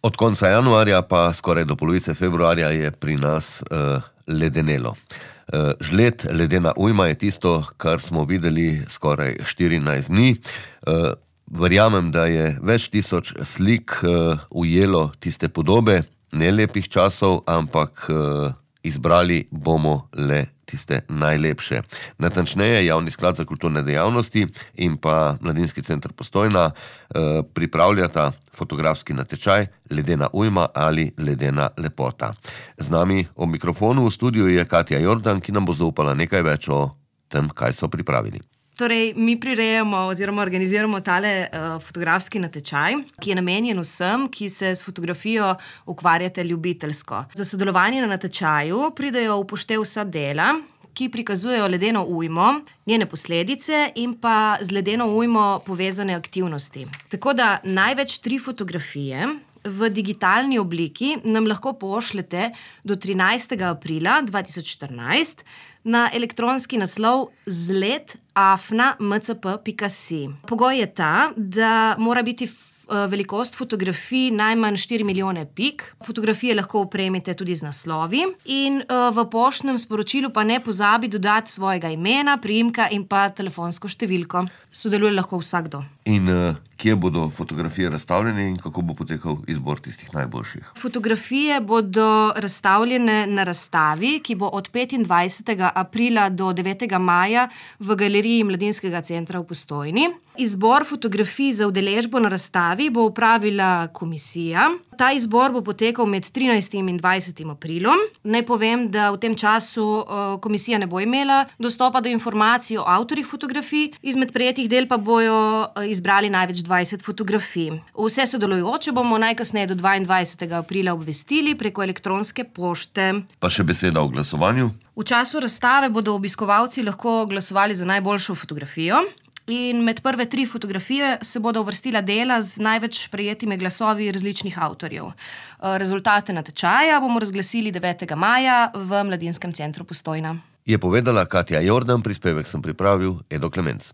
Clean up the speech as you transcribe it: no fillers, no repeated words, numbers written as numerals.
Od konca januarja pa skoraj do polovice februarja je pri nas ledenelo. Žled, ledena ujma je tisto, kar smo videli skoraj 14 dni. Verjamem, da je več tisoč slik ujelo tiste podobe nelepih časov, ampak izbrali bomo le tiste najlepše. Natančneje, Javni sklad za kulturne dejavnosti in pa Mladinski center Postojna pripravljata fotografski natečaj Ledena ujma ali ledena lepota. Z nami ob mikrofonu v studiu je Katja Jordan, ki nam bo zaupala nekaj več o tem, kaj so pripravili. Torej, mi prirejamo oziroma organiziramo tale fotografski natečaj, ki je namenjen vsem, ki se s fotografijo ukvarjate ljubiteljsko. Za sodelovanje na natečaju pridejo v upoštev vsa dela, ki prikazujejo ledeno ujmo, njene posledice in pa z ledeno ujmo povezane aktivnosti. Tako da največ 3 fotografije v digitalni obliki nam lahko pošljete do 13. aprila 2014 na elektronski naslov zlet@mcp.si. Pogoj je ta, da mora biti velikost fotografij najmanj 4 milijone pik. Fotografije lahko opremite tudi z naslovi in v poštnem sporočilu pa ne pozabi dodati svojega imena, priimka in pa telefonsko številko. Sodeluje lahko vsakdo. In kje bodo fotografije razstavljene in kako bo potekal izbor tistih najboljših? Fotografije bodo razstavljene na razstavi, ki bo od 25. aprila do 9. maja v galeriji Mladinskega centra v Postojni. Izbor fotografij za udeležbo na razstavi bo opravila komisija. Ta izbor bo potekal med 13. in 20. aprilom. Naj povem, da v tem času komisija ne bo imela dostopa do informacij o avtorjih fotografij, izmed prejetih del pa bojo izbrali največ 20 fotografij. Vse sodelujoče bomo najkasneje do 22. aprila obvestili preko elektronske pošte. Pa še beseda o glasovanju. V času razstave bodo obiskovalci lahko glasovali za najboljšo fotografijo. In med prve 3 fotografije se bodo uvrstila dela z največ prejetimi glasovi različnih avtorjev. Rezultate natečaja bomo razglasili 9. maja v Mladinskem centru Postojna. Je povedala Katja Jordan, prispevek sem pripravil Edo Klemenc.